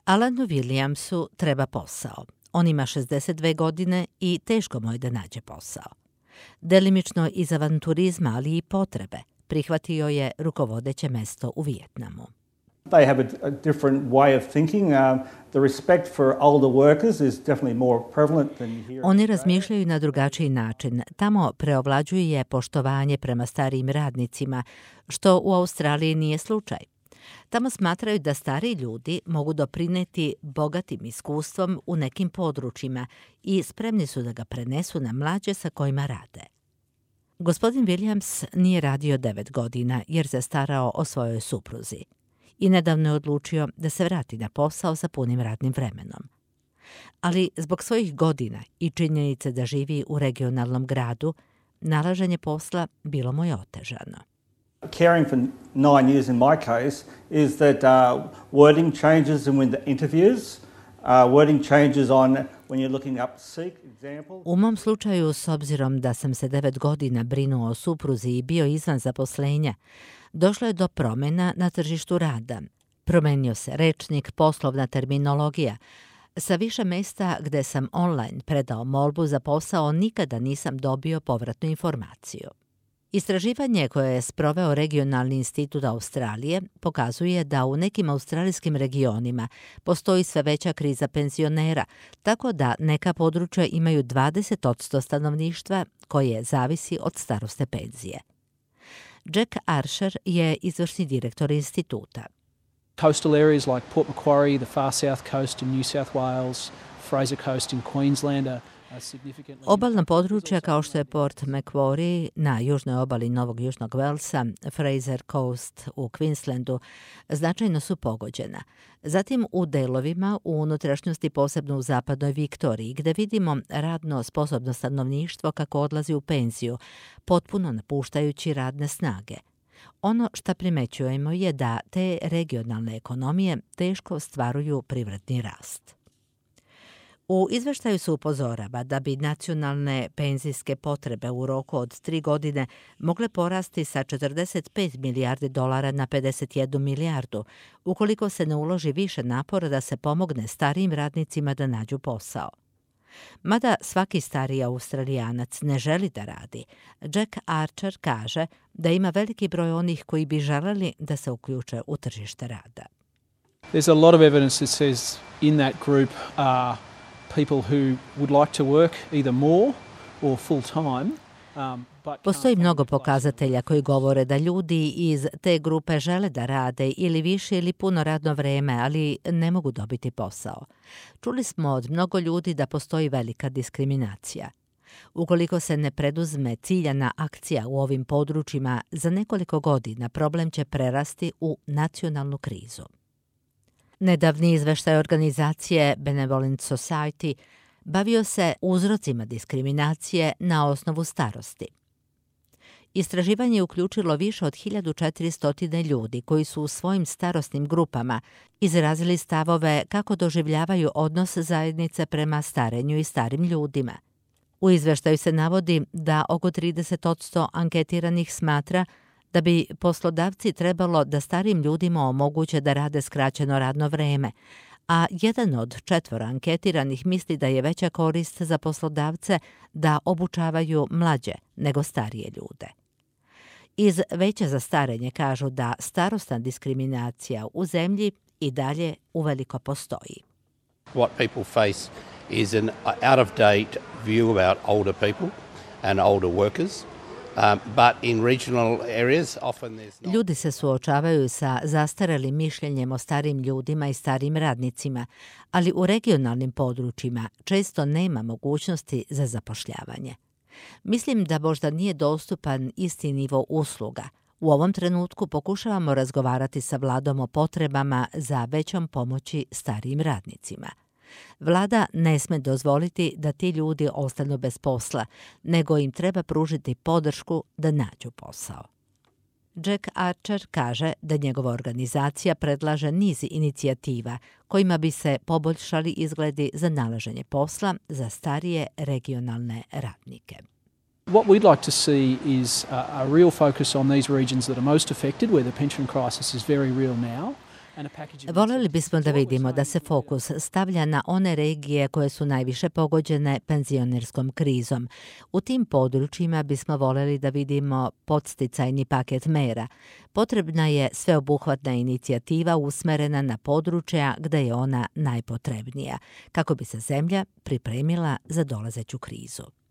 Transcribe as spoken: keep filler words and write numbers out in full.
Alanu Williamsu treba posao. On ima šezdeset dve godine i teško mu je da nađe posao. Delimično iz avanturizma, ali i potrebe, prihvatio je rukovodeće mesto u Vijetnamu. They have a, a different way of thinking. Um, the respect for older workers is definitely more prevalent than you hear. Oni razmišljaju na drugačiji način. Tamo preovlađuje poštovanje prema starijim radnicima, što u Australiji nije slučaj. Tamo smatraju da stari ljudi mogu doprineti bogatim iskustvom u nekim područjima i spremni su da ga prenesu na mlađe sa kojima rade. Gospodin Williams nije radio devet godina jer se starao o svojoj supruzi i nedavno je odlučio da se vrati na posao sa punim radnim vremenom. Ali zbog svojih godina i činjenice da živi u regionalnom gradu, nalaženje posla bilo mu je otežano. Caring for nine years in my case is that uh, wording changes in the interviews. Uh, wording changes on when you're looking up seek example. U mom slučaju, s obzirom da sam se devet godina brinuo o supruzi i bio izvan zaposlenja, došlo je do promjena na tržištu rada. Promenio se rečnik, poslovna terminologija. Sa više mesta gde sam online predao molbu za posao, nikada nisam dobio povratnu informaciju. Istraživanje koje je sproveo Regionalni institut Australije pokazuje da u nekim australijskim regionima postoji sve veća kriza penzionera, tako da neka područja imaju dvadeset posto stanovništva koje zavisi od staroste penzije. Jack Archer je izvršni direktor instituta. Coastal areas like Port Macquarie, the far south coast in New South Wales, Fraser Coast in Queensland are Obalna područja kao što je Port Macquarie na južnoj obali Novog Južnog Velsa, Fraser Coast u Queenslandu, značajno su pogođena. Zatim u delovima u unutrašnjosti, posebno u zapadnoj Viktoriji, gde vidimo radno sposobno stanovništvo kako odlazi u penziju, potpuno napuštajući radne snage. Ono što primećujemo je da te regionalne ekonomije teško ostvaruju privredni rast. U izveštaju se upozorava da bi nacionalne penzijske potrebe u roku od tri godine mogle porasti sa četrdeset pet milijardi dolara na pedeset jednu milijardu, ukoliko se ne uloži više napora da se pomogne starijim radnicima da nađu posao. Mada svaki stariji Australijanac ne želi da radi, Jack Archer kaže da ima veliki broj onih koji bi želeli da se uključe u tržište rada. There's a lot of evidence that says in that group are people who would like to work either more or full time. Um, Postoji mnogo pokazatelja koji govore da ljudi iz te grupe žele da rade ili više ili puno radno vreme, ali ne mogu dobiti posao. Čuli smo od mnogo ljudi da postoji velika diskriminacija. Ukoliko se ne preduzme ciljana akcija u ovim područjima, za nekoliko godina problem će prerasti u nacionalnu krizu. Nedavni izveštaj organizacije Benevolent Society bavio se uzrocima diskriminacije na osnovu starosti. Istraživanje je uključilo više od hiljadu četiristo ljudi koji su u svojim starosnim grupama izrazili stavove kako doživljavaju odnos zajednice prema starenju i starim ljudima. U izveštaju se navodi da oko trideset posto anketiranih smatra da bi poslodavci trebalo da starim ljudima omoguće da rade skraćeno radno vreme, a jedan od četvora anketiranih misli da je veća korist za poslodavce da obučavaju mlađe nego starije ljude. Iz Veća za starenje kažu da starosna diskriminacija u zemlji i dalje uveliko postoji. What people face is an out-of-date view about older people and older workers. Um, but in regional areas, often there's not... Ljudi se suočavaju sa zastarelim mišljenjem o starim ljudima i starim radnicima, ali u regionalnim područjima često nema mogućnosti za zapošljavanje. Mislim da možda nije dostupan isti nivo usluga. U ovom trenutku pokušavamo razgovarati sa vladom o potrebama za većom pomoći starijim radnicima. Vlada ne sme dozvoliti da ti ljudi ostanu bez posla, nego im treba pružiti podršku da nađu posao. Jack Archer kaže da njegova organizacija predlaže niz inicijativa kojima bi se poboljšali izgledi za nalaženje posla za starije regionalne radnike. What we'd like to see is a, a real focus on these regions that are most affected, where the pension crisis is very real now. Voljeli bismo da vidimo da se fokus stavlja na one regije koje su najviše pogođene penzionerskom krizom. U tim područjima bismo voljeli da vidimo podsticajni paket mera. Potrebna je sveobuhvatna inicijativa usmerena na područja gde je ona najpotrebnija, kako bi se zemlja pripremila za dolazeću krizu.